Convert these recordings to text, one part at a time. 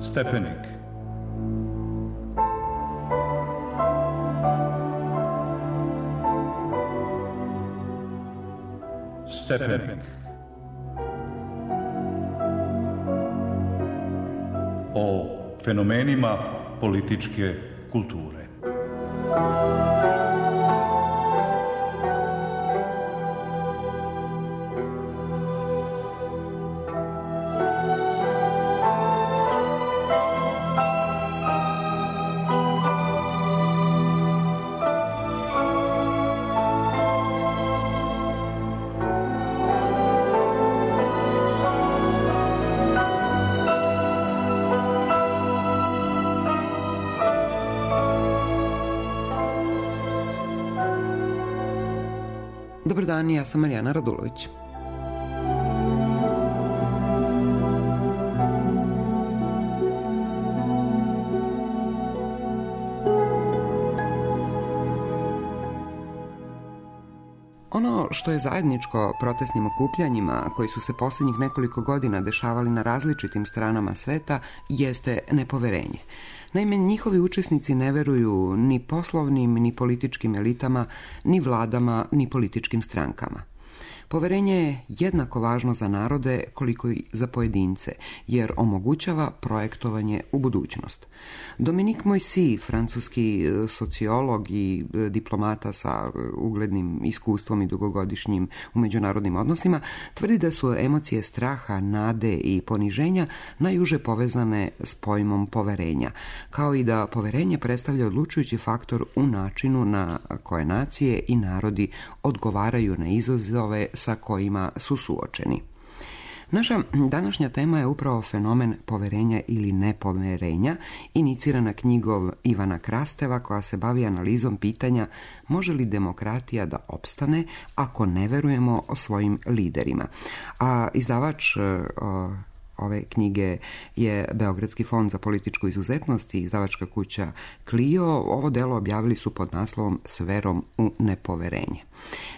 Stepenik. Stepenik. O fenomenima političke kulture. Dobar dan, ja sam Marijana Radulović. Ono što je zajedničko protestnim okupljanjima koji su se posljednjih nekoliko godina dešavali na različitim stranama sveta jeste nepoverenje. Naime, njihovi učesnici ne veruju ni poslovnim, ni političkim elitama, ni vladama, ni političkim strankama. Poverenje je jednako važno za narode koliko i za pojedince, jer omogućava projektovanje u budućnost. Dominique Moissy, francuski sociolog i diplomata sa uglednim iskustvom i dugogodišnjim u međunarodnim odnosima, tvrdi da su emocije straha, nade i poniženja najuže povezane s pojmom poverenja, kao i da poverenje predstavlja odlučujući faktor u načinu na koje nacije i narodi odgovaraju na izazove sa kojima su suočeni. Naša današnja tema je upravo fenomen poverenja ili nepoverenja, inicirana knjigom Ivana Krasteva koja se bavi analizom pitanja može li demokratija da opstane ako ne verujemo svojim liderima. A izdavač ove knjige je Beogradski fond za političku izuzetnost i izdavačka kuća Clio. Ovo delo objavili su pod naslovom S verom u nepoverenje.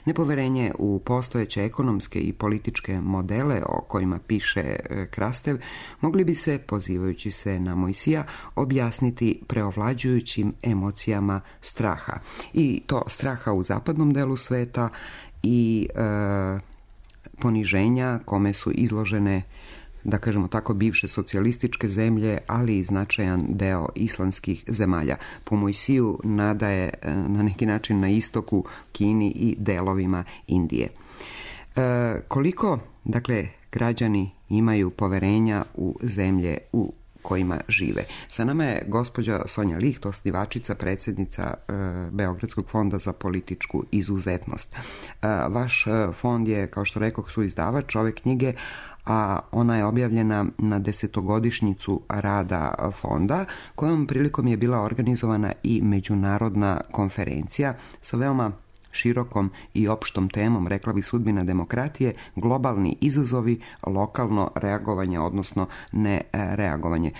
Nepoverenje u postojeće ekonomske i političke modele o kojima piše Krastev mogli bi se, pozivajući se na Moisija, objasniti preovlađujućim emocijama straha. I to straha u zapadnom delu sveta i poniženja kome su izložene, da kažemo tako, bivše socijalističke zemlje, ali i značajan deo islamskih zemalja. Po Moisiju nada je na neki način na istoku, Kini i delovima Indije. Koliko, dakle, građani imaju poverenja u zemlje u kojima žive? Sa nama je gospođa Sonja Licht, osnivačica, predsjednica Beogradskog fonda za političku izuzetnost. Vaš fond je, kao što rekoh, suizdavač ove knjige, a ona je objavljena na 10-godišnjicu rada fonda, kojom prilikom je bila organizovana i međunarodna konferencija sa veoma širokom i opštom temom, rekla bi, sudbina demokratije, globalni izazovi, lokalno reagovanje, odnosno ne reagovanje.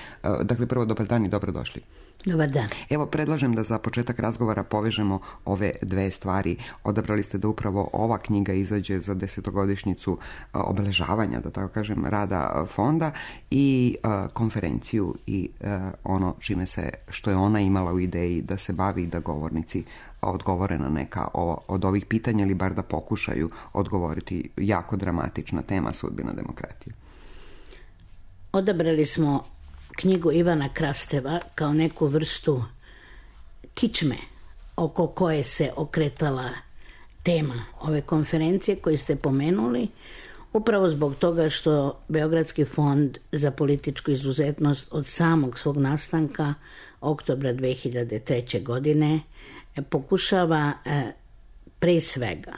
Dakle, prvo, dobar dan i dobrodošli. Dobar dan. Evo, predlažem da za početak razgovora povežemo ove dve stvari. Odabrali ste da upravo ova knjiga izađe za 10-godišnjicu obeležavanja, da tako kažem, rada fonda i konferenciju i ono što je ona imala u ideji da se bavi, da govornici odgovore na neka od ovih pitanja ili bar da pokušaju odgovoriti. Jako dramatična tema, sudbina demokratije. Odabrali smo knjigu Ivana Krasteva kao neku vrstu kičme oko koje se okretala tema ove konferencije koju ste pomenuli, upravo zbog toga što Beogradski fond za političku izuzetnost od samog svog nastanka oktobra 2003. godine pokušava pre svega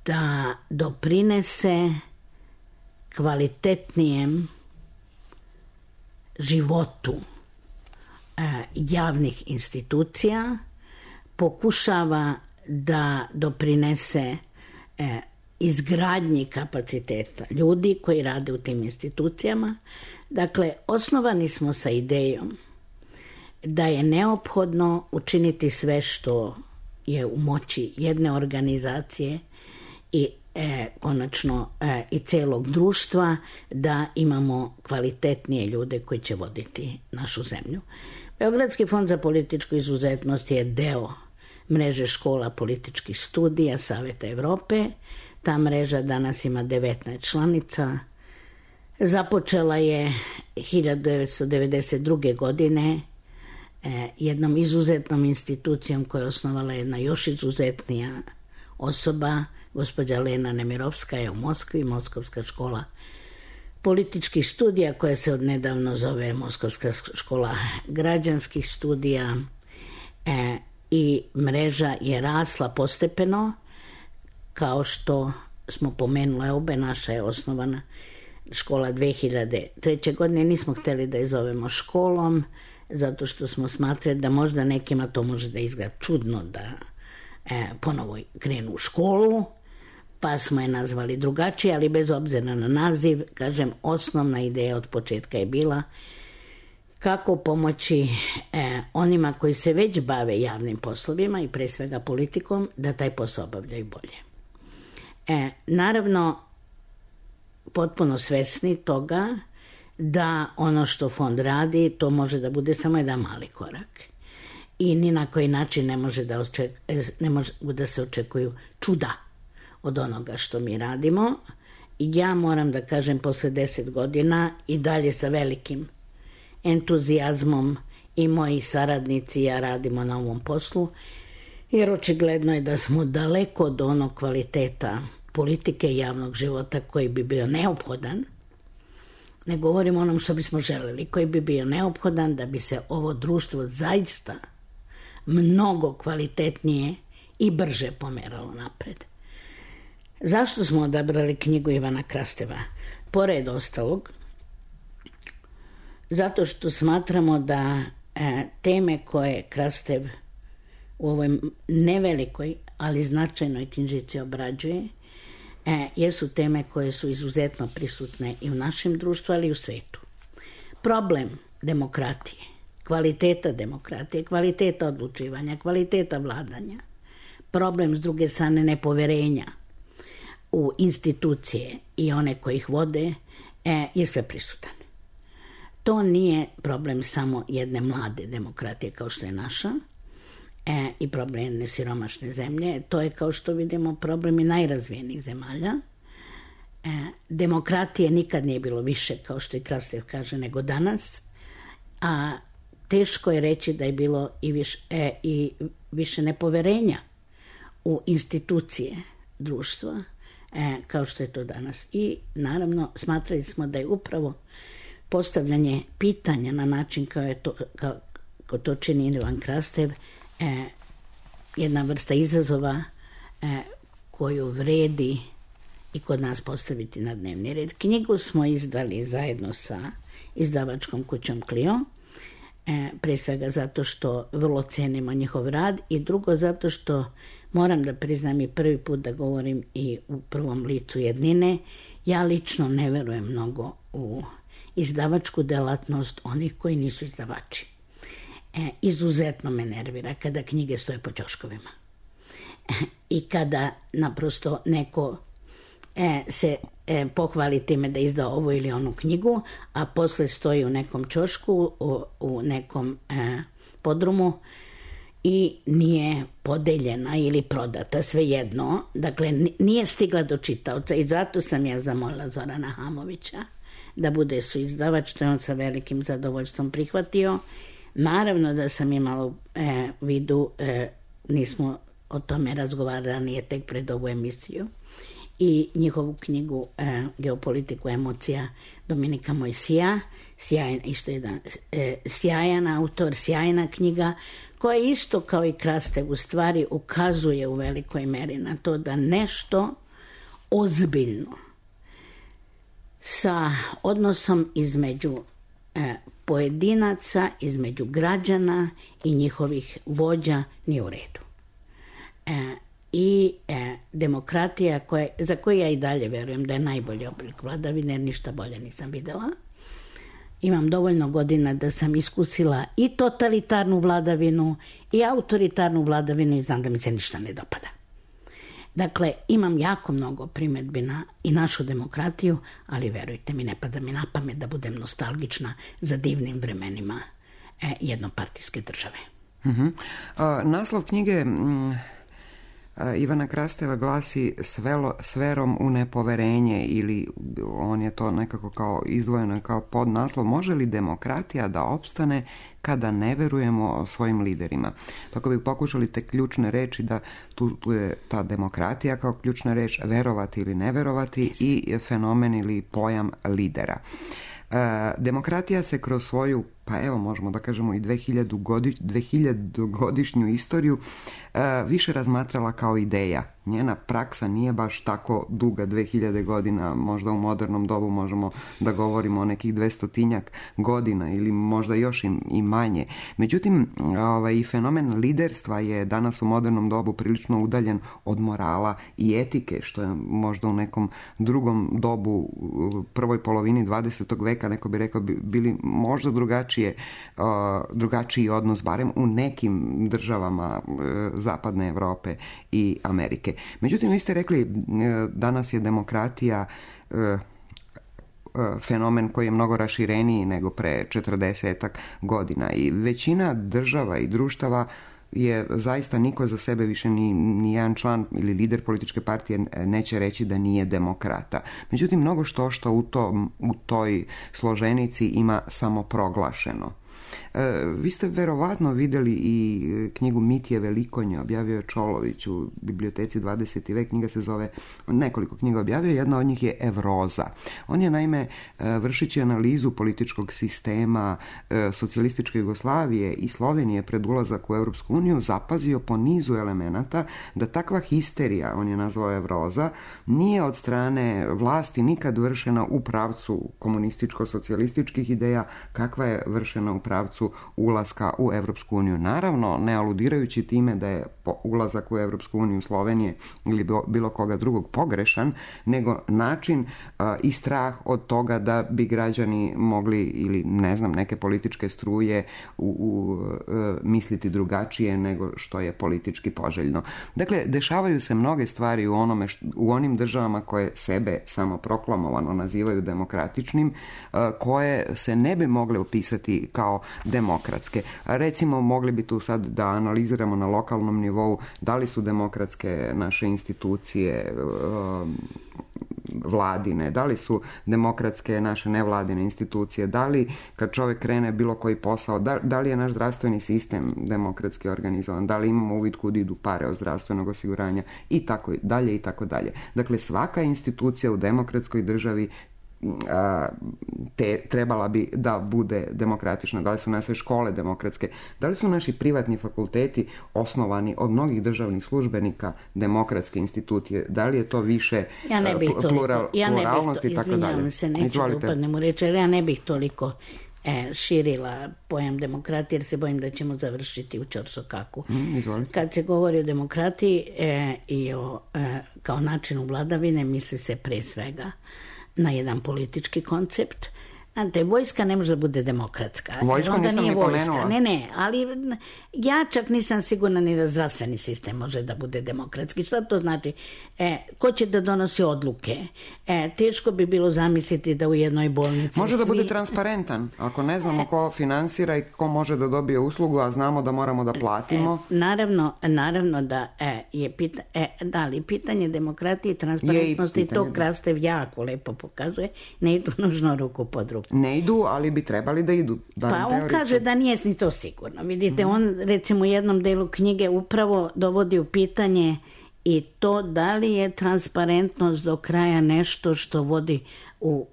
da doprinese kvalitetnijem životu javnih institucija, pokušava da doprinese izgradnji kapaciteta ljudi koji rade u tim institucijama. Dakle, osnovani smo sa idejom da je neophodno učiniti sve što je u moći jedne organizacije i konačno i celog društva, da imamo kvalitetnije ljude koji će voditi našu zemlju. Beogradski fond za političku izuzetnost je deo mreže škola političkih studija Saveta Evrope. Ta mreža danas ima 19 članica. Započela je 1992. godine jednom izuzetnom institucijom koju je osnovala jedna još izuzetnija osoba, gospođa Lena Nemirovskaja u Moskvi, Moskovska škola političkih studija koja se odnedavno zove Moskovska škola građanskih studija, i mreža je rasla postepeno, kao što smo pomenuli obe. Naša je osnovana škola 2003. godine. Nismo htjeli da je zovemo školom, zato što smo smatrali da možda nekima to može da izgleda čudno da ponovo krenu u školu, pa smo je nazvali drugačije, ali bez obzira na naziv, kažem, osnovna ideja od početka je bila kako pomoći onima koji se već bave javnim poslovima i pre svega politikom, da taj posao obavljaju bolje. Naravno, potpuno svesni toga da ono što fond radi, to može da bude samo jedan mali korak. I ni na koji način ne može da se očekuju čuda od onoga što mi radimo. Ja moram da kažem, posle 10 godina i dalje sa velikim entuzijazmom i moji saradnici i ja radimo na ovom poslu, jer očigledno je da smo daleko od onog kvaliteta politike i javnog života koji bi bio neophodan. Ne govorim o onom što bismo želeli, koji bi bio neophodan da bi se ovo društvo zaista mnogo kvalitetnije i brže pomeralo napred. Zašto smo odabrali knjigu Ivana Krasteva? Pored ostalog, zato što smatramo da teme koje Krastev u ovoj nevelikoj, ali značajnoj knjižici obrađuje, jesu teme koje su izuzetno prisutne i u našem društvu, ali i u svetu. Problem demokratije, kvaliteta odlučivanja, kvaliteta vladanja, problem s druge strane nepoverenja u institucije i one koji ih vode je sve prisutan. To nije problem samo jedne mlade demokratije kao što je naša i problem jedne siromašne zemlje. To je, kao što vidimo, problem i najrazvijenijih zemalja. Demokratije nikad nije bilo više, kao što i Krastev kaže, nego danas, a teško je reći da je bilo i više nepoverenja u institucije društva kao što je to danas. I naravno smatrali smo da je upravo postavljanje pitanja na način kao to čini Ivan Krastev jedna vrsta izazova koju vredi i kod nas postaviti na dnevni red. Knjigu smo izdali zajedno sa izdavačkom kućom Clio, pre svega zato što vrlo cenimo njihov rad i drugo zato što moram da priznam i prvi put da govorim i u prvom licu jednine, ja lično ne verujem mnogo u izdavačku delatnost onih koji nisu izdavači. Izuzetno me nervira kada knjige stoje po ćoškovima i kada naprosto neko se pohvali time da izdao ovu ili onu knjigu, a posle stoji u nekom ćošku, u nekom podrumu i nije podeljena ili prodata, svejedno. Dakle, nije stigla do čitaoca i zato sam ja zamolila Zorana Hamovića da bude suizdavač, što je on sa velikim zadovoljstvom prihvatio. Naravno da sam imala u vidu, nismo o tome razgovarali, nije tek pred ovu emisiju, i njihovu knjigu Geopolitiku emocija Dominika Mojsija, isto jedan sjajan autor, sjajna knjiga, koja isto kao i Krastev u stvari ukazuje u velikoj meri na to da nešto ozbiljno sa odnosom između pojedinaca, između građana i njihovih vođa nije u redu. I demokratija za koju ja i dalje verujem da je najbolji oblik vladavine, jer ništa bolje nisam videla. Imam dovoljno godina da sam iskusila i totalitarnu vladavinu i autoritarnu vladavinu i znam da mi se ništa ne dopada. Dakle, imam jako mnogo primjedbi na i našu demokratiju, ali verujte mi, ne pada mi na pamet da budem nostalgična za divnim vremenima jednopartijske države. Naslov knjige Ivana Krasteva glasi Sferom u nepoverenje, ili on je to nekako kao izdvojeno kao podnaslov: može li demokratija da opstane kada ne verujemo svojim liderima? Tako bi pokušali te ključne reči, da tu je ta demokratija kao ključna reč, verovati ili ne verovati, i fenomen ili pojam lidera. Demokratija se kroz svoju, pa evo možemo da kažemo i 2000-godišnju istoriju više razmatrala kao ideja. Njena praksa nije baš tako duga, 2000 godina, možda u modernom dobu možemo da govorimo o nekih 200 godina ili možda još i manje. Međutim, i fenomen liderstva je danas u modernom dobu prilično udaljen od morala i etike, što je možda u nekom drugom dobu, prvoj polovini 20. veka, neko bi rekao, bili možda drugačiji odnos, barem u nekim državama zapadne Europe i Amerike. Međutim, vi ste rekli, danas je demokratija fenomen koji je mnogo rašireniji nego pre 40 godina i većina država i društava je zaista, niko za sebe više ni jedan član ili lider političke partije neće reći da nije demokrata. Međutim, mnogo što u toj složenici ima samoproglašeno. Vi ste verovatno vidjeli i knjigu Mitije Velikonje, objavio je Čolović u biblioteci 20. vek. Knjiga se zove, nekoliko knjiga objavio, jedna od njih je Evroza. On je naime, vršići analizu političkog sistema socijalističke Jugoslavije i Slovenije pred ulazak u Europsku uniju, zapazio po nizu elemenata da takva histerija, on je nazvao Evroza, nije od strane vlasti nikad vršena u pravcu komunističko-socijalističkih ideja, kakva je vršena u pravcu ulaska u Europsku uniju. Naravno, ne aludirajući time da je ulazak u Europsku uniju Slovenije ili bilo koga drugog pogrešan, nego način i strah od toga da bi građani mogli, ili ne znam, neke političke struje misliti drugačije nego što je politički poželjno. Dakle, dešavaju se mnoge stvari u onim državama koje sebe samoproklamovano nazivaju demokratičnim, koje se ne bi mogle opisati kao demokratske. Recimo, mogli bi tu sad da analiziramo na lokalnom nivou da li su demokratske naše institucije vladine, da li su demokratske naše nevladine institucije, da li kad čovjek krene bilo koji posao, da li je naš zdravstveni sistem demokratski organizovan, da li imamo uvid kud idu pare od zdravstvenog osiguranja i tako dalje i tako dalje. Dakle, svaka institucija u demokratskoj državi trebala bi da bude demokratična. Da li su naše škole demokratske, da li su naši privatni fakulteti osnovani od mnogih državnih službenika demokratske institucije, da li je to više pluralnosti i tako dalje. Izvinjavam se, neću da upadnem u reč, ali ja ne bih toliko širila pojam demokratije, jer se bojim da ćemo završiti u ćorsokaku. Kad se govori o demokratiji i kao načinu vladavine, misli se pre svega na jedan politički koncept. Znate, vojska ne može da bude demokratska. Vojsko nisam ni pomenula. Ne, ali ja čak nisam sigurna ni da zdravstveni sistem može da bude demokratski. Šta to znači? Ko će da donosi odluke? Teško bi bilo zamisliti da u jednoj bolnici može da bude transparentan. Ako ne znamo ko finansira i ko može da dobije uslugu, a znamo da moramo da platimo. Naravno da je pitanje demokratije i transparentnosti, to Krastev jako lepo pokazuje, ne idu nužno ruku pod ruku. Ne idu, ali bi trebali da idu. Pa on kaže da nije ni to sigurno. Vidite, on recimo u jednom delu knjige upravo dovodi u pitanje i to da li je transparentnost do kraja nešto što vodi u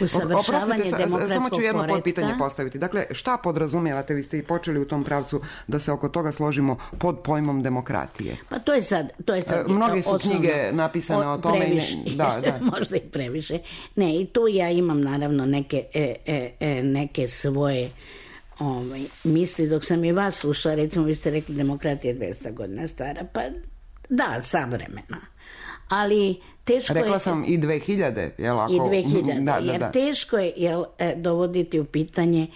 usavršavanje demokratskog poretka. Samo ću jedno pitanje postaviti. Dakle, šta podrazumijevate, vi ste i počeli u tom pravcu da se oko toga složimo pod pojmom demokratije? Pa to je sad mnoge su knjige napisane o tome. Možda i previše. Ne, i tu ja imam naravno neke svoje misli. Dok sam i vas slušala, recimo vi ste rekli demokratija je 200 godina stara, pa da, savremena. Ali teško rekla sam i 2000, jel? I 2000, jer teško je dovoditi u pitanje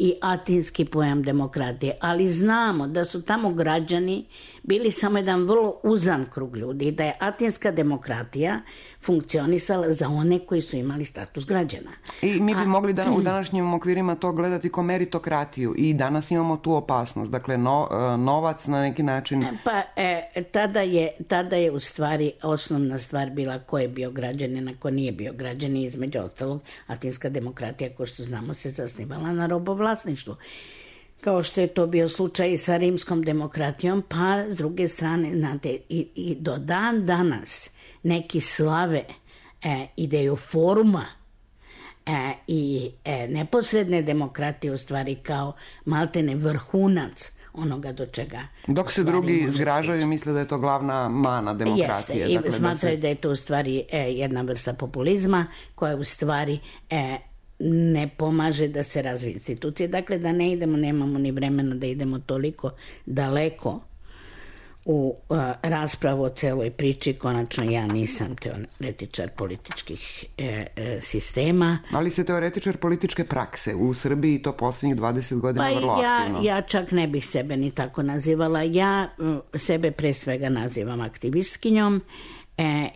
i atinski pojam demokratije, ali znamo da su tamo građani bili samo jedan vrlo uzan krug ljudi, da je atinska demokratija funkcionisala za one koji su imali status građana. I mi bi mogli u današnjim okvirima to gledati kao meritokratiju i danas imamo tu opasnost, dakle novac na neki način... Tada je u stvari osnovna stvar bila ko je bio građanin, a ko nije bio građanin. Između ostalog, atinska demokratija, kao što znamo, se zasnivala na robovlasništvu. Kao što je to bio slučaj i sa rimskom demokratijom, pa s druge strane, znate, i do dan danas neki slave ideju foruma i neposredne demokratije u stvari kao maltene vrhunac onoga do čega... Dok se drugi zgražaju i misle da je to glavna mana demokratije. Jeste, dakle, i smatraju da je to u stvari jedna vrsta populizma koja u stvari ne pomaže da se razvije institucije. Dakle, da ne idemo, nemamo ni vremena da idemo toliko daleko u raspravu o celoj priči. Konačno, ja nisam teoretičar političkih sistema. Ali ste teoretičar političke prakse. U Srbiji to posljednjih 20 godina vrlo aktivno. Ja čak ne bih sebe ni tako nazivala. Ja sebe pre svega nazivam aktivistkinjom.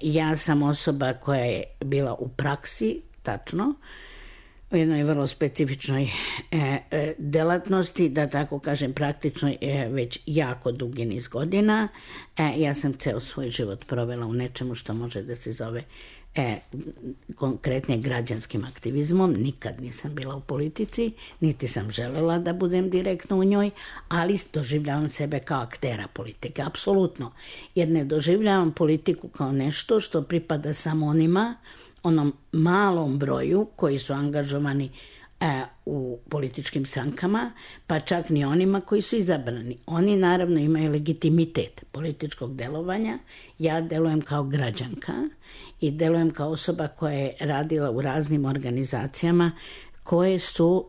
Ja sam osoba koja je bila u praksi, tačno, u jednoj vrlo specifičnoj delatnosti, da tako kažem praktičnoj, već jako dugi niz godina. Ja sam ceo svoj život provela u nečemu što može da se zove konkretne građanskim aktivizmom. Nikad nisam bila u politici, niti sam želela da budem direktno u njoj, ali doživljavam sebe kao aktera politike, apsolutno. Jer ne doživljavam politiku kao nešto što pripada samo onom malom broju koji su angažovani u političkim strankama, pa čak ni onima koji su izabrani. Oni naravno imaju legitimitet političkog delovanja. Ja delujem kao građanka i delujem kao osoba koja je radila u raznim organizacijama koje su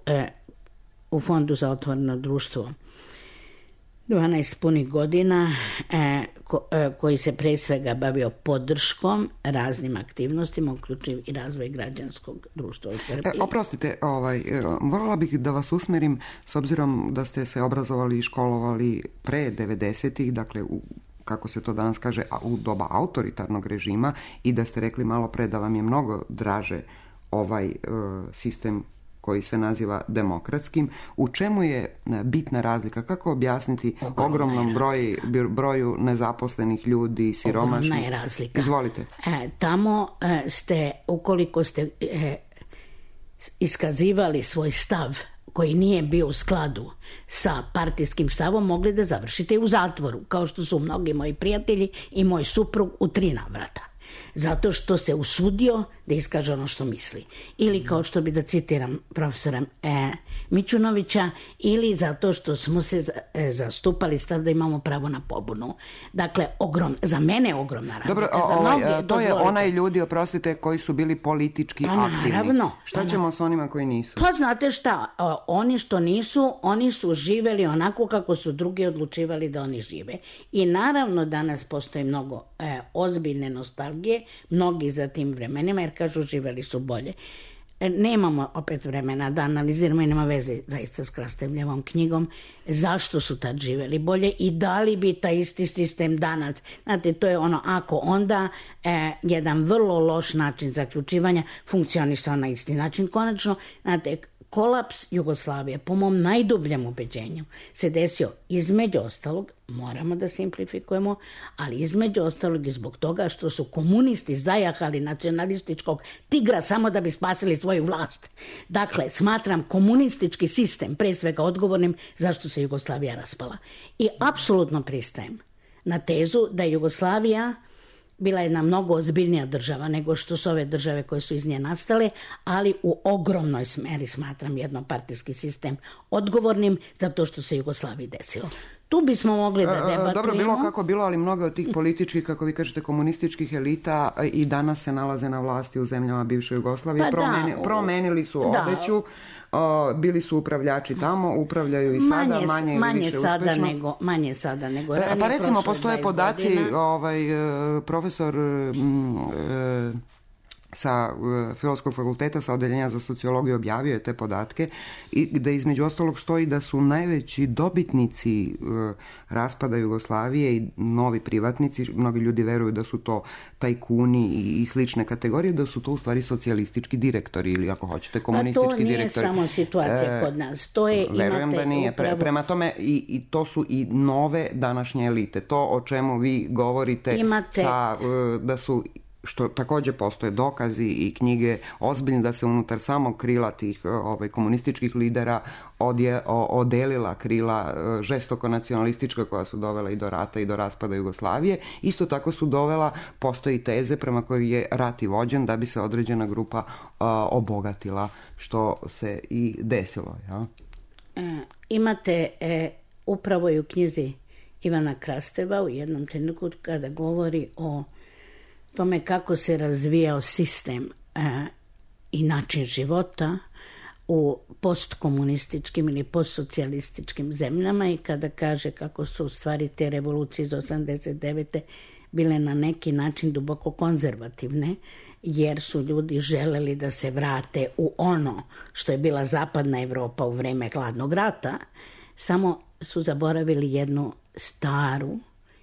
u Fondu za otvoreno društvo 12 punih godina, koji se pre svega bavio podrškom raznim aktivnostima, uključiv i razvoj građanskog društva u Srbiji. Oprostite, voljela bih da vas usmerim, s obzirom da ste se obrazovali i školovali pre 90-ih, dakle kako se to danas kaže, u doba autoritarnog režima, i da ste rekli malo pre da vam je mnogo draže ovaj sistem koji se naziva demokratskim. U čemu je bitna razlika? Kako objasniti ogromnom broju nezaposlenih ljudi, siromašnih? Ogromna je razlika. Izvolite. Tamo ste, ukoliko ste iskazivali svoj stav koji nije bio u skladu sa partijskim stavom, mogli da završite u zatvoru, kao što su mnogi moji prijatelji i moj suprug u 3 navrata. Zato što se usudio da iskaže ono što misli. Ili kao što bi da citiram profesora Mićunovića, ili zato što smo se zastupali stav da imamo pravo na pobunu. Dakle, za mene je ogromna razlika. Dobro, to je onaj ljudi, oprostite, koji su bili politički aktivni. Naravno. Šta ćemo s onima koji nisu? Pa znate šta, oni što nisu, oni su živeli onako kako su drugi odlučivali da oni žive. I naravno danas postoji mnogo ozbiljne nostalgije, mnogi za tim vremenima, jer kažu živeli su bolje. Nemamo opet vremena da analiziramo i nema veze zaista s Krastevljevom knjigom zašto su tad živeli bolje i da li bi taj isti sistem danas, znate, to je ono ako onda jedan vrlo loš način zaključivanja funkcionisao na isti način. Konačno, znate, kolaps Jugoslavije, po mom najdubljem ubeđenju, se desio između ostalog, moramo da simplifikujemo, ali između ostalog i zbog toga što su komunisti zajahali nacionalističkog tigra samo da bi spasili svoju vlast. Dakle, smatram komunistički sistem pre svega odgovornim zašto se Jugoslavija raspala. I apsolutno pristajem na tezu da je Jugoslavija bila jedna mnogo ozbiljnija država nego što su ove države koje su iz nje nastale, ali u ogromnoj meri smatram jednopartijski sistem odgovornim za to što se Jugoslaviji desilo. Tu bismo mogli da debatujemo. Dobro, bilo kako bilo, ali mnogo od tih političkih, kako vi kažete, komunističkih elita i danas se nalaze na vlasti u zemljama bivše Jugoslavije. Promenili su odeću, bili su upravljači tamo, upravljaju i sada, manje ili više uspešno. Manje sada nego ranije. Pa recimo, postoje podaci, profesor sa Filozofskog fakulteta, sa odeljenja za sociologiju, objavio je te podatke i gde između ostalog stoji da su najveći dobitnici raspada Jugoslavije i novi privatnici, mnogi ljudi veruju da su to tajkuni i slične kategorije, da su to u stvari socijalistički direktori ili ako hoćete komunistički direktori. Pa to nije samo situacija kod nas. To je, verujem da nije. Prema tome i to su i nove današnje elite. To o čemu vi govorite da su, što takođe postoje dokazi i knjige ozbiljne, da se unutar samog krila tih komunističkih lidera odelila krila žestoko nacionalistička koja su dovela i do rata i do raspada Jugoslavije. Isto tako su dovela, postoji teze prema kojoj je rat i vođen da bi se određena grupa obogatila, što se i desilo. Ja? Imate upravo i u knjizi Ivana Krasteva u jednom trenutku kada govori o tome kako se razvijao sistem i način života u postkomunističkim ili postsocijalističkim zemljama i kada kaže kako su u stvari te revolucije iz 89. bile na neki način duboko konzervativne, jer su ljudi želeli da se vrate u ono što je bila zapadna Evropa u vreme hladnog rata, samo su zaboravili jednu staru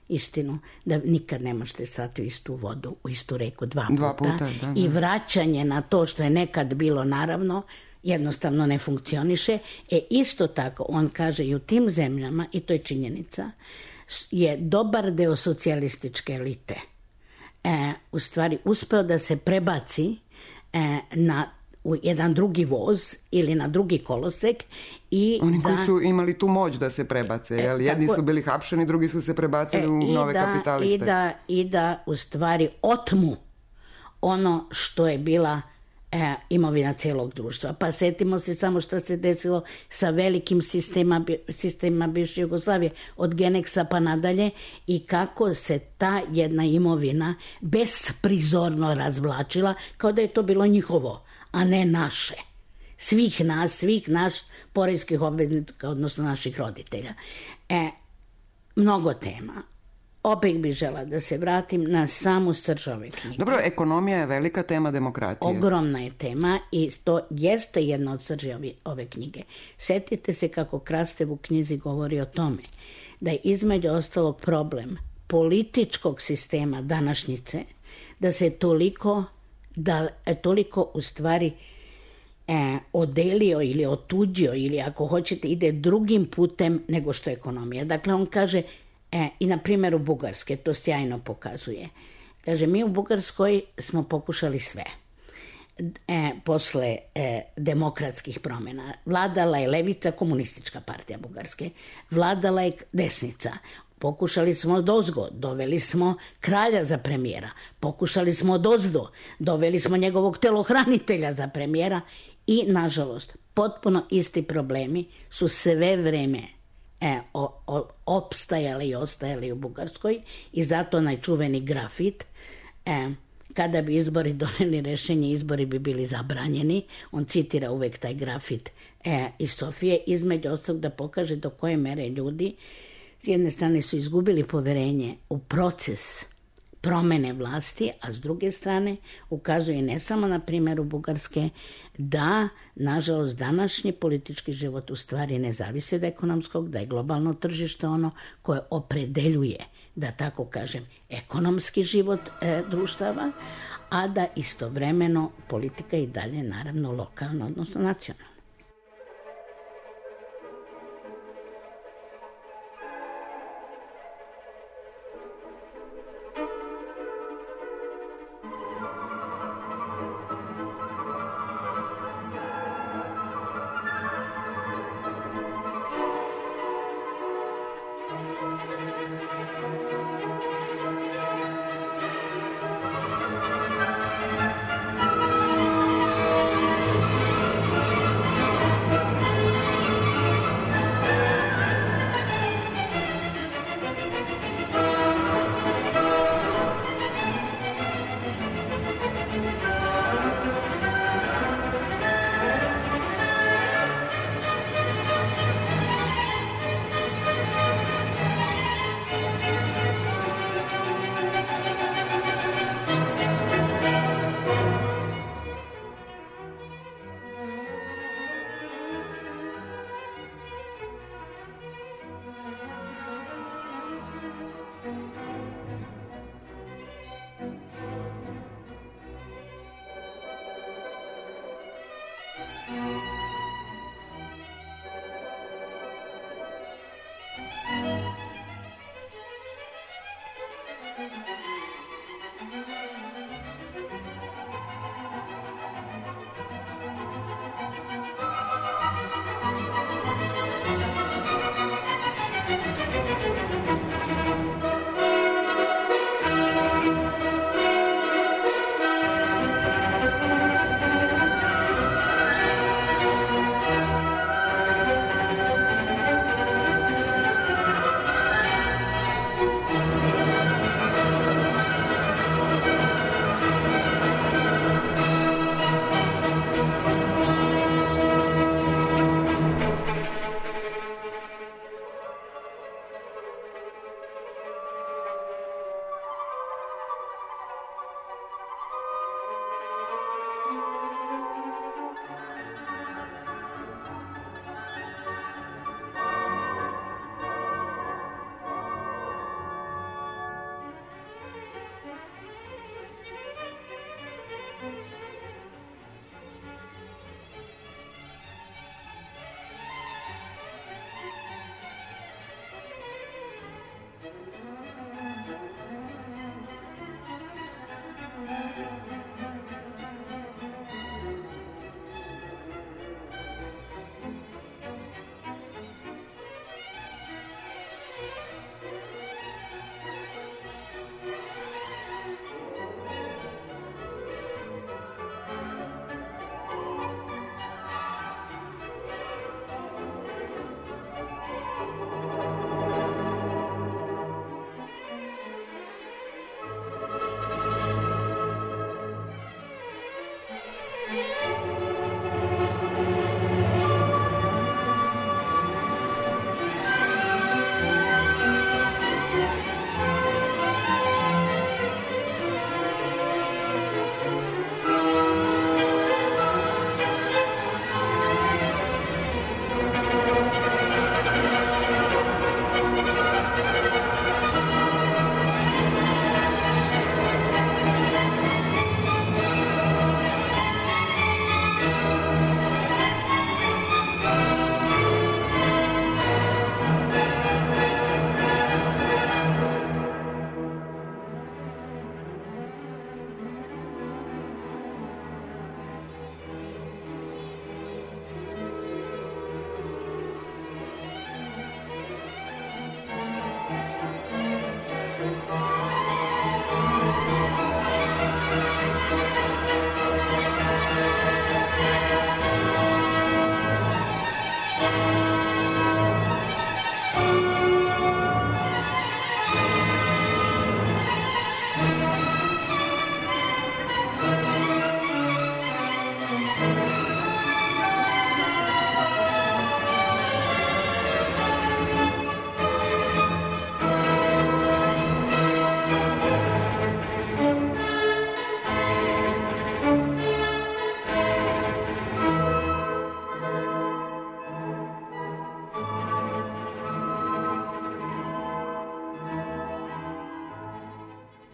istinu, da nikad ne možete stati u istu vodu, u istu reku dva puta. Da. I vraćanje na to što je nekad bilo, naravno, jednostavno ne funkcioniše. Isto tako, on kaže i u tim zemljama, i to je činjenica, je dobar deo socijalističke elite u stvari uspeo da se prebaci u jedan drugi voz ili na drugi kolosek. Oni koji su imali tu moć da se prebace, jedni su bili hapšeni, drugi su se prebacili u nove kapitaliste. I da u stvari otmu ono što je bila imovina cijelog društva. Pa setimo se samo što se desilo sa velikim sistemima bivše Jugoslavije, od Geneksa pa nadalje, i kako se ta jedna imovina besprizorno razvlačila kao da je to bilo njihovo, a ne naše. Svih naš poreskih obveznika, odnosno naših roditelja. Mnogo tema. Opet bih žela da se vratim na samu srž ove knjige. Dobro, ekonomija je velika tema demokratije. Ogromna je tema i to jeste jedna od srži ove knjige. Setite se kako Krastev u knjizi govori o tome da je između ostalog problem političkog sistema današnjice, da se toliko u stvari odelio ili otuđio ili ako hoćete ide drugim putem nego što je ekonomija. Dakle, on kaže, i na primjeru Bugarske, to sjajno pokazuje. Kaže, mi u Bugarskoj smo pokušali sve. Posle demokratskih promjena vladala je levica, komunistička partija Bugarske, vladala je desnica. Pokušali smo odozgo, doveli smo kralja za premijera, pokušali smo odozdo, doveli smo njegovog telohranitelja za premijera i, nažalost, potpuno isti problemi su sve vreme opstajali i ostajali u Bugarskoj i zato najčuveni grafit, kada bi izbori doneli rešenje, izbori bi bili zabranjeni. On citira uvek taj grafit iz Sofije, između ostalog da pokaže do koje mere ljudi s jedne strane su izgubili poverenje u proces promene vlasti, a s druge strane ukazuje ne samo na primjeru Bugarske da, nažalost, današnji politički život u stvari ne zavisi od ekonomskog, da je globalno tržište ono koje opredeljuje, da tako kažem, ekonomski život društava, a da istovremeno politika i dalje naravno lokalna, odnosno nacionalna.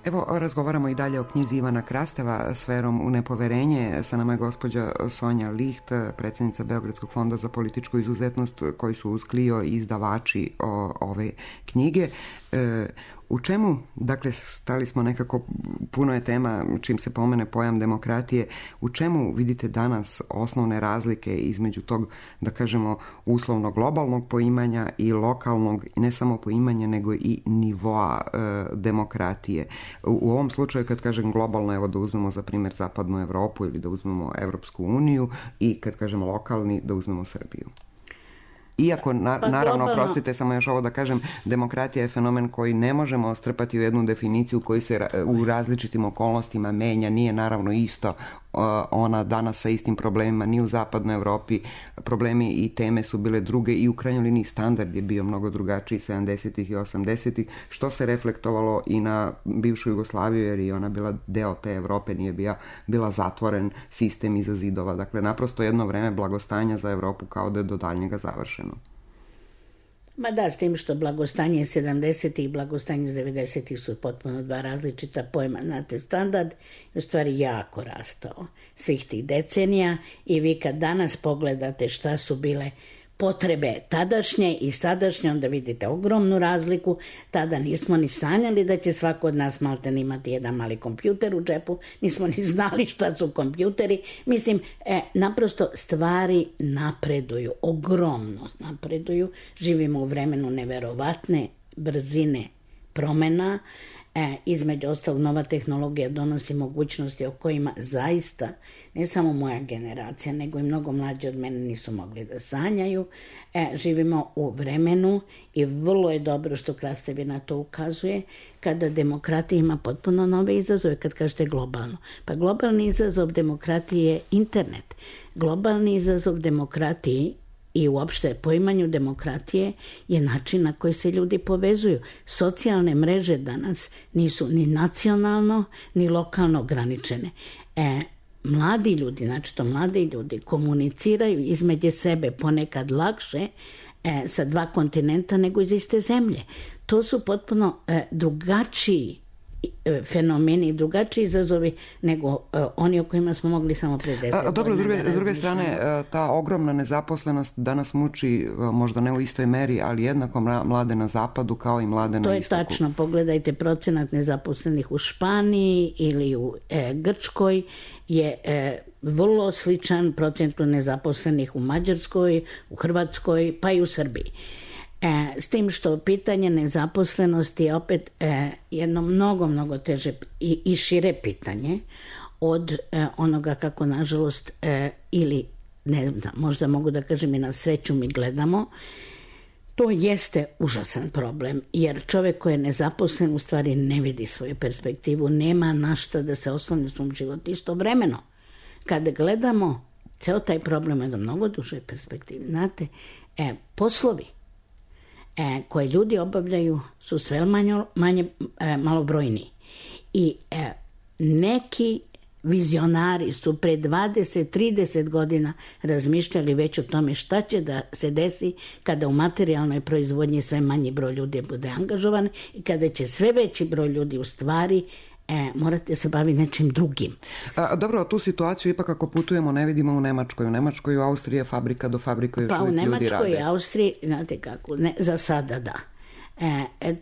Evo, razgovaramo i dalje o knjizi Ivana Krasteva Sferom u nepoverenje. Sa nama je gospođa Sonja Licht, predsjednica Beogradskog fonda za političku izuzetnost, koji su uz Clio izdavači ove knjige. U čemu, dakle, stali smo nekako, puno je tema čim se pomene pojam demokratije, u čemu vidite danas osnovne razlike između tog, da kažemo, uslovno globalnog poimanja i lokalnog, ne samo poimanja, nego i nivoa demokratije? U ovom slučaju, kad kažem globalno, evo da uzmemo za primjer Zapadnu Europu ili da uzmemo Europsku uniju, i kad kažemo lokalni, da uzmemo Srbiju. Iako, naravno, oprostite, samo još ovo da kažem, demokratija je fenomen koji ne možemo strpati u jednu definiciju koji se u različitim okolnostima menja. Nije naravno isto ona danas sa istim problemima ni u Zapadnoj Europi. Problemi i teme su bile druge i u krajnjoj liniji standard je bio mnogo drugačiji 70-ih i 80-ih, što se reflektovalo i na bivšu Jugoslaviju, jer je ona bila deo te Europe, nije bila zatvoren sistem iza zidova. Dakle, naprosto jedno vreme blagostanja za Europu kao da je do daljnjega završeno. Ma da, s tim što blagostanje 70. i blagostanje iz 90. su potpuno dva različita pojma. Znate, standard je u stvari jako rastao svih tih decenija i vi kad danas pogledate šta su bile potrebe tadašnje i sadašnje, onda vidite ogromnu razliku. Tada nismo ni sanjali da će svako od nas malten imati jedan mali kompjuter u džepu, nismo ni znali šta su kompjuteri. Mislim, naprosto stvari napreduju, ogromno napreduju. Živimo u vremenu neverovatne brzine promjena. Između ostalog, nova tehnologija donosi mogućnosti o kojima zaista ne samo moja generacija, nego i mnogo mlađi od mene nisu mogli da sanjaju. Živimo u vremenu i vrlo je dobro što Krastevi na to ukazuje, kada demokratija ima potpuno nove izazove, kad kažete globalno. Pa globalni izazov demokratije je internet. Globalni izazov demokratiji i uopšte poimanju demokratije je način na koji se ljudi povezuju. Socijalne mreže danas nisu ni nacionalno ni lokalno ograničene. Mladi ljudi, znači to mladi ljudi, komuniciraju između sebe ponekad lakše sa dva kontinenta nego iz iste zemlje. To su potpuno drugačiji fenomeni i drugačiji izazovi nego oni o kojima smo mogli samo pre 10 godina. Dobro, s druge strane, ta ogromna nezaposlenost danas muči, možda ne u istoj meri, ali jednako mlade na zapadu kao i mlade na istoku. To je tačno. Pogledajte procenat nezaposlenih u Španiji ili u Grčkoj je vrlo sličan procentu nezaposlenih u Mađarskoj, u Hrvatskoj, pa i u Srbiji. S tim što pitanje nezaposlenosti je opet jedno mnogo teže i šire pitanje od onoga kako nažalost ili ne znam, možda mogu da kažem i na sreću mi gledamo. To jeste užasan problem, jer čovjek koji je nezaposlen u stvari ne vidi svoju perspektivu, nema na šta da se osloni u svom životu. Istovremeno, kada gledamo ceo taj problem je da mnogo duže perspektivi, znate, poslovi koje ljudi obavljaju su sve manje malobrojniji. I neki vizionari su pre 20-30 godina razmišljali već o tome šta će da se desi kada u materijalnoj proizvodnji sve manji broj ljudi bude angažovan i kada će sve veći broj ljudi u stvari morate se baviti nečim drugim. Dobro, tu situaciju ipak ako putujemo ne vidimo u Nemačkoj. U Nemačkoj u Austriji je fabrika do fabrika još uvijek ljudi rade. Pa u Nemačkoj i Austriji, znate kako, za sada da.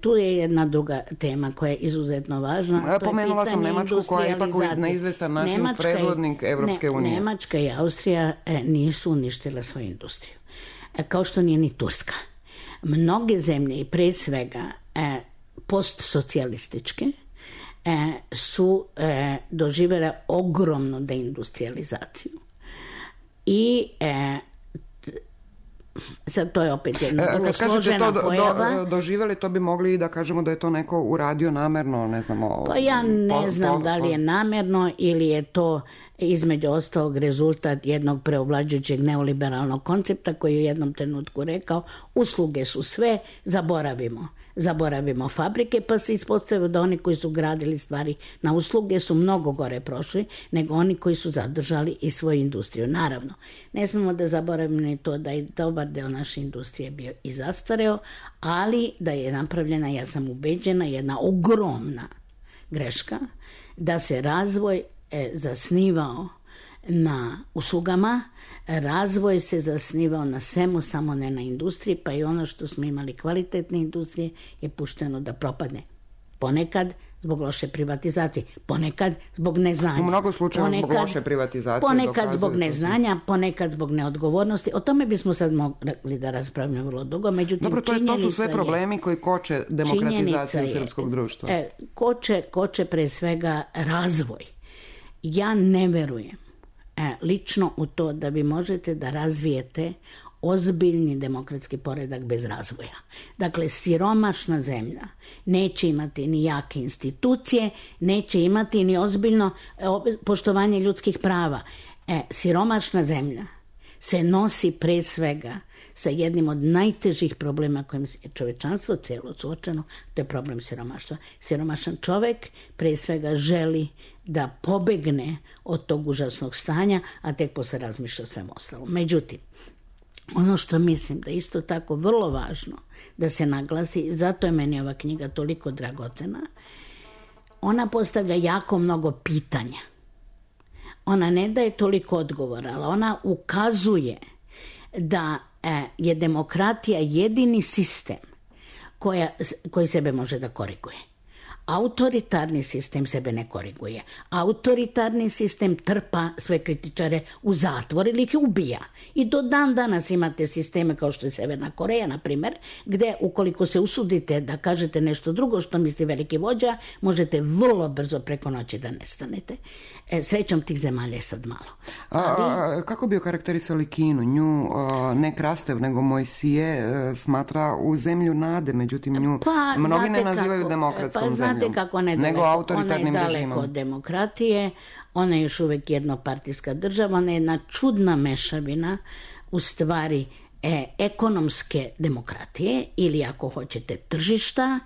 Tu je jedna druga tema koja je izuzetno važna. Pomenula sam Nemačku koja je ipak na izvestan način predvodnik Evropske unije. Nemačka i Austrija nisu uništile svoju industriju. Kao što nije ni Turska. Mnoge zemlje i pre svega postsocijalističke su doživjele ogromnu deindustrializaciju. I sad to je opet jedna vrlo složena pojava. Doživjeli, to bi mogli da kažemo da je to neko uradio namerno, ne znamo. Pa ja ne znam da li je namerno ili je to između ostalog rezultat jednog preovlađujućeg neoliberalnog koncepta koji je u jednom trenutku rekao usluge su sve, zaboravimo fabrike, pa se ispostavilo da oni koji su gradili stvari na usluge su mnogo gore prošli nego oni koji su zadržali i svoju industriju. Naravno, ne smemo da zaboravimo ni to da je dobar deo naše industrije bio i zastareo, ali da je napravljena, ja sam ubeđena, jedna ogromna greška da se razvoj zasnivao na uslugama, razvoj se zasnivao na svemu, samo ne na industriji, pa i ono što smo imali kvalitetne industrije je pušteno da propadne. Ponekad zbog loše privatizacije, ponekad zbog neznanja. U mnogo slučajeva zbog loše privatizacije. Ponekad zbog neznanja, ponekad zbog neodgovornosti. O tome bismo sad mogli da raspravljamo vrlo dugo. Međutim, dobro, to su sve problemi koji koče demokratizaciju srpskog društva. Koče pre svega razvoj. Ja ne verujem lično u to da vi možete da razvijete ozbiljni demokratski poredak bez razvoja. Dakle, siromašna zemlja neće imati ni jake institucije, neće imati ni ozbiljno poštovanje ljudskih prava. Siromašna zemlja se nosi pre svega sa jednim od najtežih problema kojim je čovečanstvo cijelo suočeno, to je problem siromaštva. Siromašan čovek pre svega želi da pobegne od tog užasnog stanja, a tek posle razmišlja o svemu ostalo. Međutim, ono što mislim da isto tako vrlo važno da se naglasi, zato je meni ova knjiga toliko dragocena, ona postavlja jako mnogo pitanja. Ona ne daje toliko odgovora, ali ona ukazuje da je demokratija jedini sistem koji sebe može da koriguje. Autoritarni sistem sebe ne koriguje. Autoritarni sistem trpa sve kritičare u zatvor ili ih ubija. I do dan danas imate sisteme kao što je Severna Koreja, na primjer, gde ukoliko se usudite da kažete nešto drugo što misli veliki vođa, možete vrlo brzo preko noći da nestanete. Srećom tih zemalja je sad malo. Kako bi okarakterisali Kinu? Nju ne Krastev, nego Mojsije smatra u zemlju nade, međutim nju mnogi ne nazivaju demokratskom zemljom. Kako ona je daleko od demokratije, ona je još uvijek jednopartijska država, ona je jedna čudna mešavina u stvari ekonomske demokratije ili ako hoćete tržišta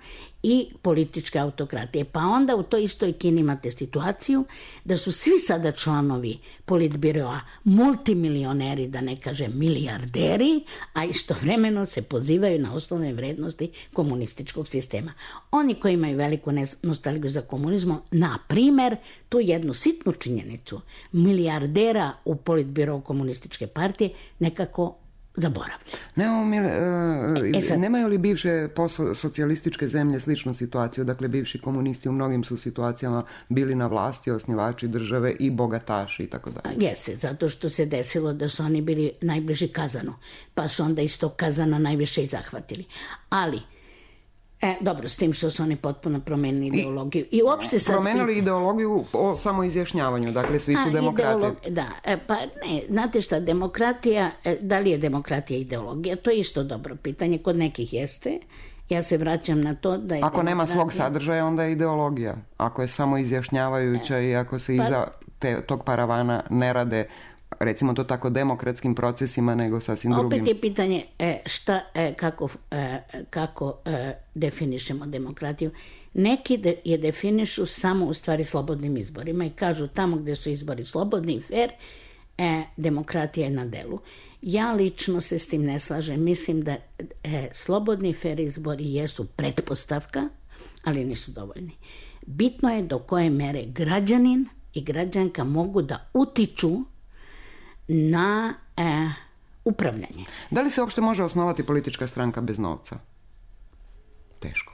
i političke autokratije. Pa onda u toj istoj Kini imate situaciju da su svi sada članovi politbiroa multimilioneri, da ne kažem milijarderi, a istovremeno se pozivaju na osnovne vrednosti komunističkog sistema. Oni koji imaju veliku nostalgiju za komunizmom, na primjer, tu jednu sitnu činjenicu milijardera u politbirou komunističke partije nekako zaboravljaju. Nemaju li bivše socijalističke zemlje sličnu situaciju? Dakle, bivši komunisti u mnogim su situacijama bili na vlasti, osnivači države i bogataši i tako dalje. Jeste, zato što se desilo da su oni bili najbliži Kazanu, pa su onda iz tog Kazana najviše i zahvatili. Ali dobro, s tim što su oni potpuno promenili ideologiju. I uopšte sad promenili ideologiju o samoizjašnjavanju, dakle svi su demokrate. Pa ne, znate šta, demokratija, da li je demokratija ideologija? To je isto dobro pitanje, kod nekih jeste. Ja se vraćam na to da je ako nema svog sadržaja, onda je ideologija. Ako je samoizjašnjavajuća i ako se iza tog paravana ne rade, recimo to tako, demokratskim procesima, nego sasvim drugim. Opet je pitanje kako definišemo demokratiju. Neki je definišu samo u stvari slobodnim izborima i kažu tamo gdje su izbori slobodni i fair, demokratija je na delu. Ja lično se s tim ne slažem. Mislim da slobodni i fair izbori jesu pretpostavka, ali nisu dovoljni. Bitno je do koje mere građanin i građanka mogu da utiču na upravljanje. Da li se uopšte može osnovati politička stranka bez novca? Teško.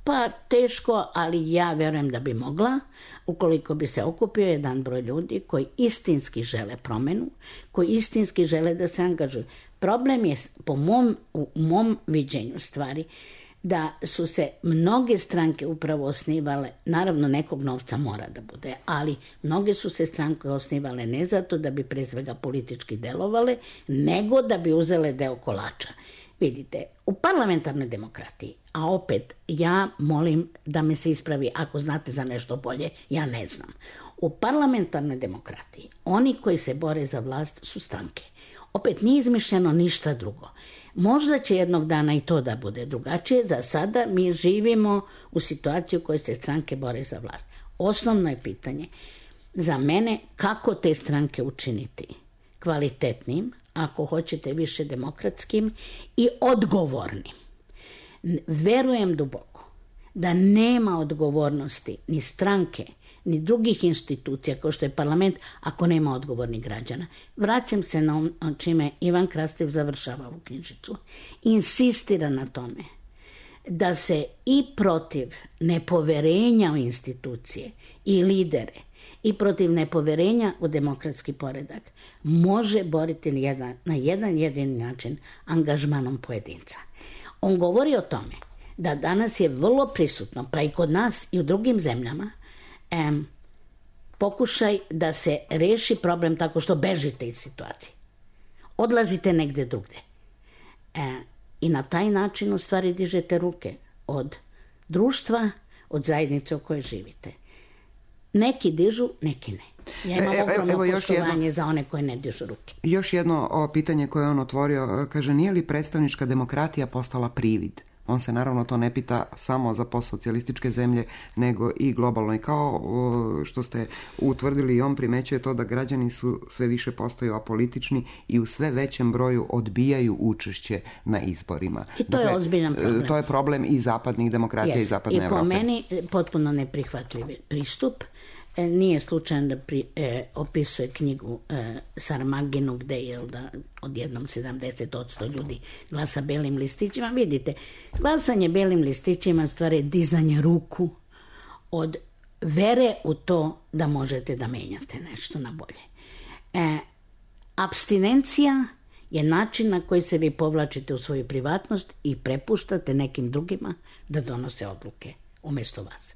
Pa teško, ali ja vjerujem da bi mogla, ukoliko bi se okupio jedan broj ljudi koji istinski žele promjenu, koji istinski žele da se angažuju. Problem je, u mom viđenju stvari, da su se mnoge stranke upravo osnivale, naravno nekog novca mora da bude, ali mnoge su se stranke osnivale ne zato da bi pre svega politički delovale, nego da bi uzele deo kolača. Vidite, u parlamentarnoj demokratiji, a opet ja molim da me se ispravi ako znate za nešto bolje, ja ne znam. U parlamentarnoj demokratiji oni koji se bore za vlast su stranke. Opet nije izmišljeno ništa drugo. Možda će jednog dana i to da bude drugačije. Za sada mi živimo u situaciji u kojoj se stranke bore za vlast. Osnovno je pitanje za mene kako te stranke učiniti kvalitetnim, ako hoćete više demokratskim i odgovornim. Verujem duboko da nema odgovornosti ni stranke, ni drugih institucija kao što je parlament ako nema odgovornih građana. Vraćam se na čime Ivan Krastev završava ovu knjižicu. Insistira na tome da se i protiv nepoverenja u institucije i lidere i protiv nepoverenja u demokratski poredak može boriti na jedan jedini način angažmanom pojedinca. On govori o tome da danas je vrlo prisutno, pa i kod nas i u drugim zemljama, pokušaj da se reši problem tako što bežite iz situacije. Odlazite negdje drugdje. I na taj način u stvari dižete ruke od društva, od zajednice u kojoj živite. Neki dižu, neki ne. Ja imam ogromno poštovanje za one koje ne dižu ruke. Još jedno pitanje koje on otvorio, kaže, nije li predstavnička demokratija postala privid? On se naravno to ne pita samo za postsocijalističke zemlje, nego i globalno. I kao što ste utvrdili, i on primećuje to da građani su sve više postaju apolitični i u sve većem broju odbijaju učešće na izborima. I to je ozbiljan problem. To je problem i zapadnih demokratija i zapadne Evrope. I po meni potpuno neprihvatljiv pristup. Nije slučajno da opisuje knjigu Sarmaginu, gde je da odjednom 70% ljudi glasa belim listićima. Vidite, glasanje belim listićima stvari dizanje ruku od vere u to da možete da menjate nešto na bolje. Apstinencija je način na koji se vi povlačite u svoju privatnost i prepuštate nekim drugima da donose odluke umjesto vas.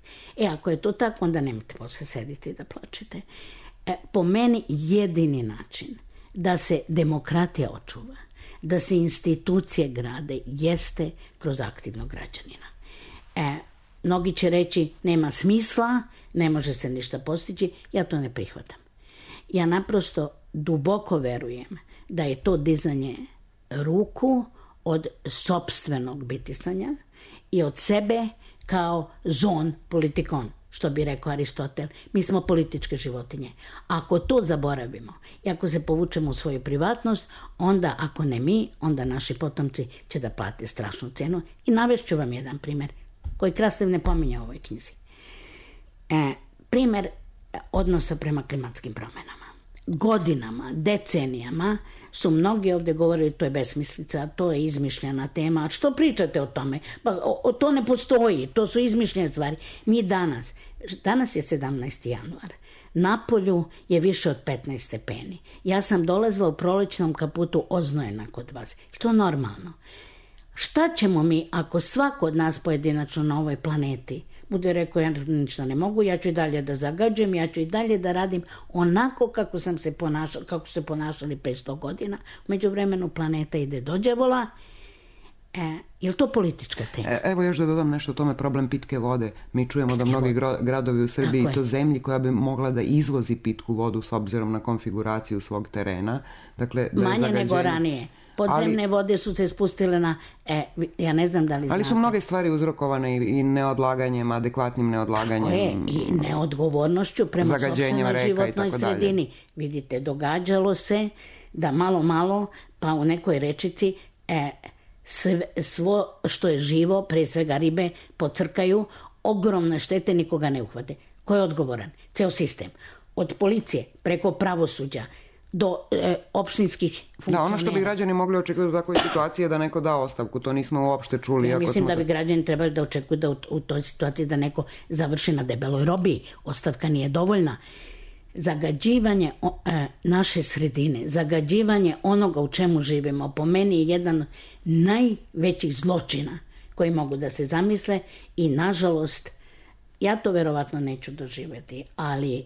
Ako je to tako, onda nemojte posle sediti da plačete. Po meni jedini način da se demokratija očuva, da se institucije grade, jeste kroz aktivnog građanina. Mnogi će reći nema smisla, ne može se ništa postići, ja to ne prihvatam. Ja naprosto duboko verujem da je to dizanje ruku od sopstvenog bitisanja i od sebe kao zon politikon, što bi rekao Aristotel. Mi smo političke životinje. Ako to zaboravimo i ako se povučemo u svoju privatnost, onda ako ne mi, onda naši potomci će da plate strašnu cenu. I navešću vam jedan primjer koji Krastev ne pominje u ovoj knjizi. Primjer odnosa prema klimatskim promjenama. Godinama, decenijama su mnogi ovdje govorili to je besmislica, to je izmišljena tema. A što pričate o tome? Pa to ne postoji, to su izmišljene stvari. Mi danas je 17. januar, napolju je više od 15 stepeni. Ja sam dolazila u prolećnom kaputu oznojena kod vas. Je to normalno? Šta ćemo mi ako svako od nas pojedinačno na ovoj planeti bude rekao ja ništa ne mogu, ja ću i dalje da zagađujem, ja ću i dalje da radim onako kako su se ponašali 500 godina. U međuvremenu planeta ide do đavola. Je li to politička tema? Evo još da dodam nešto o tome, problem pitke vode. Mi čujemo da mnogi gradovi u Srbiji, to zemlji koja bi mogla da izvozi pitku vodu s obzirom na konfiguraciju svog terena. Dakle, da manje nego ranije. Podzemne vode su se spustile na, ja ne znam da li znate. Ali su mnoge stvari uzrokovane i neodlaganjem, adekvatnim neodlaganjem. Tako je, i neodgovornošću prema sopstvenoj životnoj sredini. Vidite, događalo se da malo, pa u nekoj rečici svo što je živo, pre svega ribe, pocrkaju, ogromne štete, nikoga ne uhvate. Ko je odgovoran? Ceo sistem. Od policije, preko pravosuđa, do opštinskih funkcionera. Da, ono što bi građani mogli očekivati u takvoj situaciji je da neko da ostavku, to nismo uopšte čuli. Ja mislim da bi građani trebali da očekuju da u toj situaciji da neko završi na debeloj robiji. Ostavka nije dovoljna. Zagađivanje naše sredine, zagađivanje onoga u čemu živimo, po meni je jedan najvećih zločina koji mogu da se zamisle i nažalost, ja to verovatno neću doživjeti, ali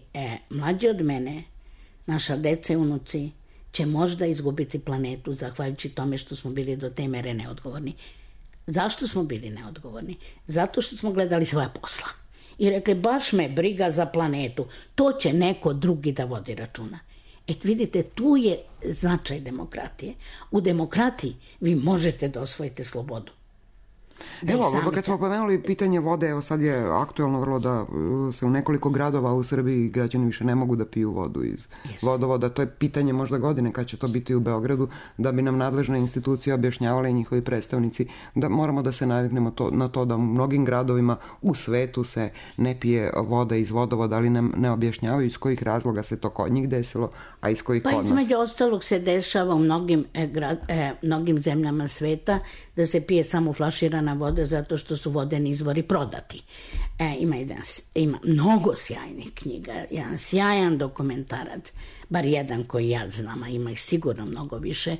mlađi od mene, naša deca i unuci će možda izgubiti planetu zahvaljujući tome što smo bili do te mere neodgovorni. Zašto smo bili neodgovorni? Zato što smo gledali svoja posla. I rekli, baš me briga za planetu. To će neko drugi da vodi računa. Vidite, tu je značaj demokratije. U demokratiji vi možete da osvojite slobodu. Evo, kad smo pomenuli pitanje vode, evo sad je aktualno vrlo da se u nekoliko gradova u Srbiji građani više ne mogu da piju vodu iz vodovoda. To je pitanje možda godine kad će to biti u Beogradu, da bi nam nadležne institucije objašnjavale i njihovi predstavnici da moramo da se naviknemo na to da u mnogim gradovima u svetu se ne pije voda iz vodovoda, ali nam ne objašnjavaju iz kojih razloga se to kod njih desilo, a iz kojih kod nas. Pa između ostalog se dešava u mnogim zemljama sveta da se pije samo flaširana voda zato što su vodeni izvori prodati. Ima mnogo sjajnih knjiga, jedan sjajan dokumentarac, bar jedan koji ja znam, a ima ih sigurno mnogo više,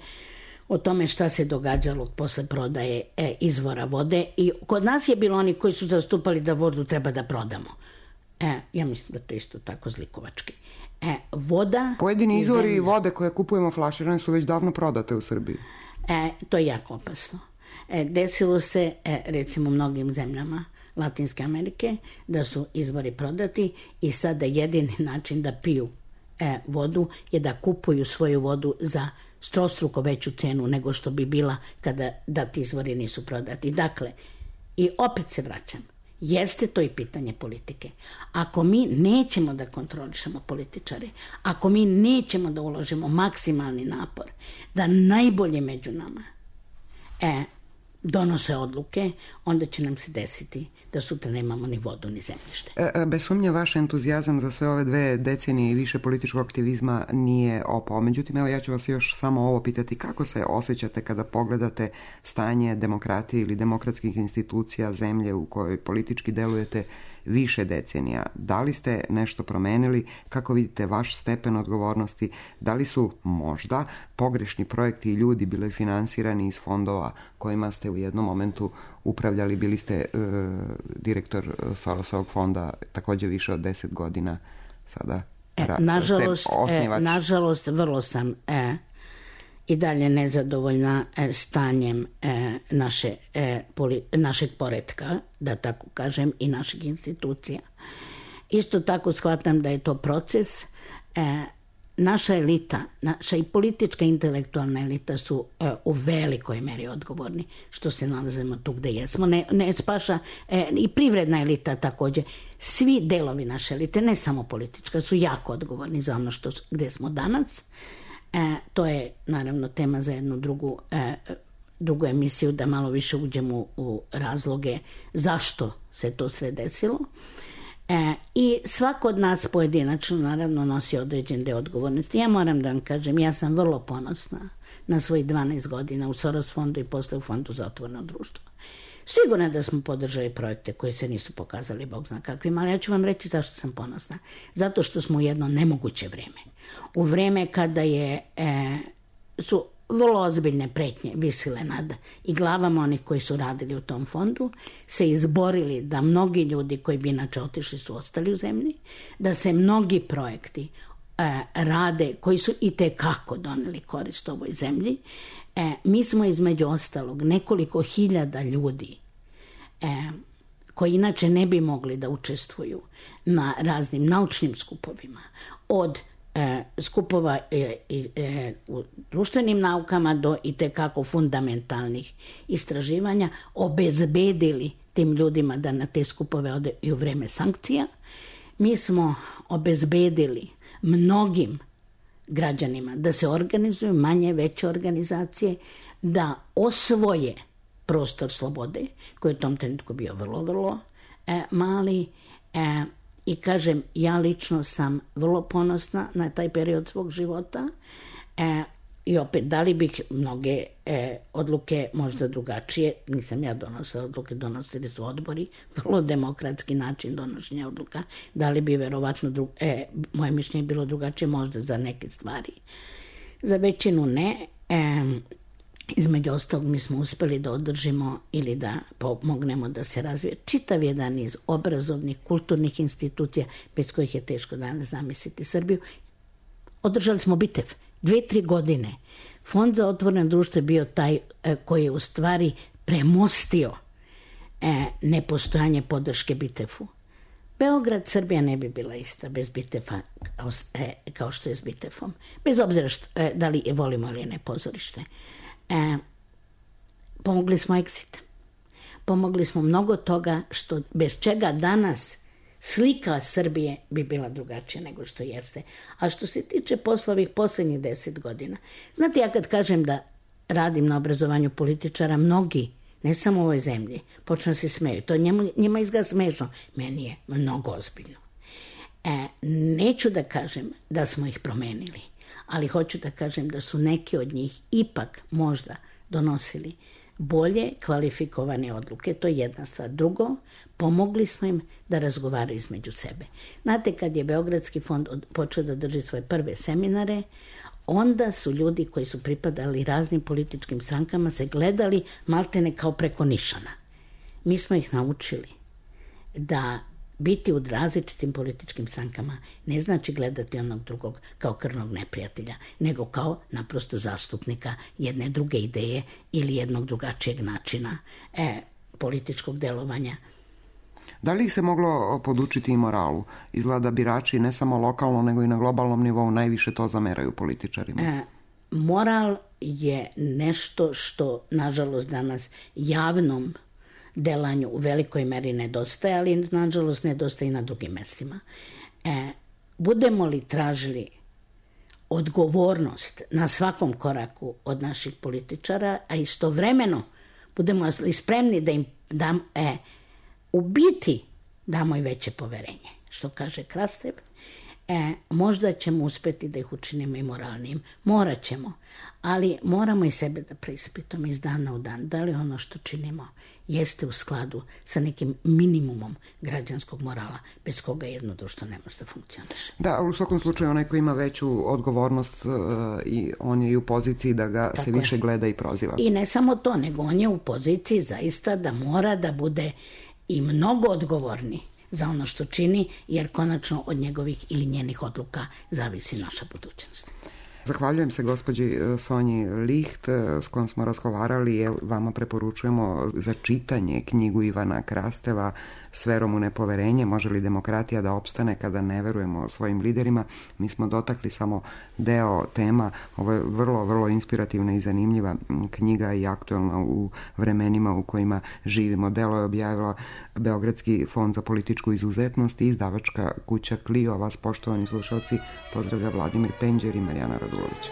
o tome šta se događalo posle prodaje izvora vode. I kod nas je bilo oni koji su zastupali da vodu treba da prodamo. Ja mislim da to isto tako zlikovački. Voda... Pojedini izvori vode koje kupujemo flaširane su već davno prodate u Srbiji. To je jako opasno. Desilo se, recimo, u mnogim zemljama Latinske Amerike, da su izvori prodati i sada jedini način da piju vodu je da kupuju svoju vodu za strostruko veću cenu nego što bi bila da ti izvori nisu prodati. Dakle, i opet se vraćam, jeste to i pitanje politike. Ako mi nećemo da kontrolišemo političare, ako mi nećemo da uložimo maksimalni napor, da najbolje među nama donose odluke, onda će nam se desiti da sutra nemamo ni vodu ni zemljište. Bez sumnje vaš entuzijazam za sve ove 2 decenije i više političkog aktivizma nije opao. Međutim, evo ja ću vas još samo ovo pitati. Kako se osjećate kada pogledate stanje demokratije ili demokratskih institucija zemlje u kojoj politički delujete više decenija? Da li ste nešto promenili? Kako vidite vaš stepen odgovornosti? Da li su možda pogrešni projekti i ljudi bili finansirani iz fondova kojima ste u jednom momentu upravljali? Bili ste direktor Sorosovog fonda također više od 10 godina. Sada nažalost vrlo sam i dalje nezadovoljna stanjem našeg poretka, da tako kažem, i naših institucija. Isto tako shvatam da je to proces. Naša elita, naša i politička intelektualna elita su u velikoj meri odgovorni što se nalazimo tu gde jesmo. Ne spaša i privredna elita također. Svi delovi naše elite, ne samo politička, su jako odgovorni za ono gde smo danas. To je naravno tema za jednu drugu emisiju, da malo više uđemo u razloge zašto se to sve desilo. I svako od nas pojedinačno naravno nosi određen deo odgovornosti. Ja moram da vam kažem, ja sam vrlo ponosna na svojih 12 godina u Soros fondu i posle u Fondu za otvoreno društvo. Sigurno da smo podržali projekte koji se nisu pokazali bog zna kakvim, ali ja ću vam reći zašto sam ponosna. Zato što smo u jedno nemoguće vreme. U vreme kada su vrlo ozbiljne pretnje visile nad i glavama onih koji su radili u tom fondu, se izborili da mnogi ljudi koji bi inače otišli su ostali u zemlji, da se mnogi projekti rade koji su i tekako doneli korist ovoj zemlji. Mi smo između ostalog nekoliko hiljada ljudi koji inače ne bi mogli da učestvuju na raznim naučnim skupovima, od skupova u društvenim naukama do i tekako fundamentalnih istraživanja, obezbedili tim ljudima da na te skupove ode i u vreme sankcija. Mi smo obezbedili mnogim građanima da se organizuju manje, veće organizacije, da osvoje prostor slobode, koji je u tom trenutku bio vrlo, vrlo mali. I kažem, ja lično sam vrlo ponosna na taj period svog života. I opet, da li bih mnoge odluke možda drugačije, nisam ja donosila odluke, donosili su odbori, vrlo demokratski način donošenja odluka, da li bi verovatno moje mišljenje bilo drugačije možda za neke stvari. Za većinu ne. Između ostalog mi smo uspeli da održimo ili da pomognemo da se razvije čitav jedan niz obrazovnih, kulturnih institucija bez kojih je teško danas zamisliti Srbiju. Održali smo bitev 2-3 godine. Fond za otvoreno društvo je bio taj koji je u stvari premostio nepostojanje podrške Bitefu. Beograd, Srbija ne bi bila ista bez Bitefa kao što je s Bitefom. Bez obzira da li je volimo ili ne pozorište. Pomogli smo Exit. Pomogli smo mnogo toga bez čega danas slika Srbije bi bila drugačija nego što jeste. A što se tiče poslovih posljednjih 10 godina, znate, ja kad kažem da radim na obrazovanju političara, mnogi, ne samo u ovoj zemlji, počnu se smeju. To njima izgleda smešno. Meni je mnogo ozbiljno. Neću da kažem da smo ih promenili, ali hoću da kažem da su neki od njih ipak možda donosili bolje kvalifikovane odluke. To je jedna stvar. Drugo, pomogli smo im da razgovaraju između sebe. Znate, kad je Beogradski fond počeo da drži svoje prve seminare, onda su ljudi koji su pripadali raznim političkim strankama se gledali maltene kao preko nišana. Mi smo ih naučili da biti u različitim političkim strankama ne znači gledati onog drugog kao krvnog neprijatelja, nego kao naprosto zastupnika jedne druge ideje ili jednog drugačijeg načina političkog delovanja. Da li ih se moglo podučiti i moralu? Izgleda birači ne samo lokalno, nego i na globalnom nivou najviše to zameraju političarima. Moral je nešto što, nažalost, danas javnom delanju u velikoj meri nedostaje, ali nažalost nedostaje i na drugim mestima. Budemo li tražili odgovornost na svakom koraku od naših političara, a istovremeno budemo li spremni da im u biti damo i veće poverenje, što kaže Krastev, možda ćemo uspeti da ih učinimo i moralnijim. Morat ćemo, ali moramo i sebe da preispitamo iz dana u dan. Da li ono što činimo jeste u skladu sa nekim minimumom građanskog morala, bez koga jedno društvo ne može da funkcioniše. Da, u svakom slučaju onaj koji ima veću odgovornost i on je u poziciji da ga se više gleda i proziva. I ne samo to, nego on je u poziciji zaista da mora da bude i mnogo odgovorni za ono što čini, jer konačno od njegovih ili njenih odluka zavisi naša budućnost. Zahvaljujem se gospođi Sonji Licht s kojom smo razgovarali. Vama preporučujemo za čitanje knjigu Ivana Krasteva S verom u nepoverenje, može li demokratija da opstane kada ne verujemo svojim liderima. Mi smo dotakli samo deo tema. Ovo je vrlo, vrlo inspirativna i zanimljiva knjiga i aktuelna u vremenima u kojima živimo. Delo je objavila Beogradski fond za političku izuzetnost i izdavačka kuća Clio. Vas, poštovani slušalci, pozdravlja Vladimir Penđer i Marijana Radulović.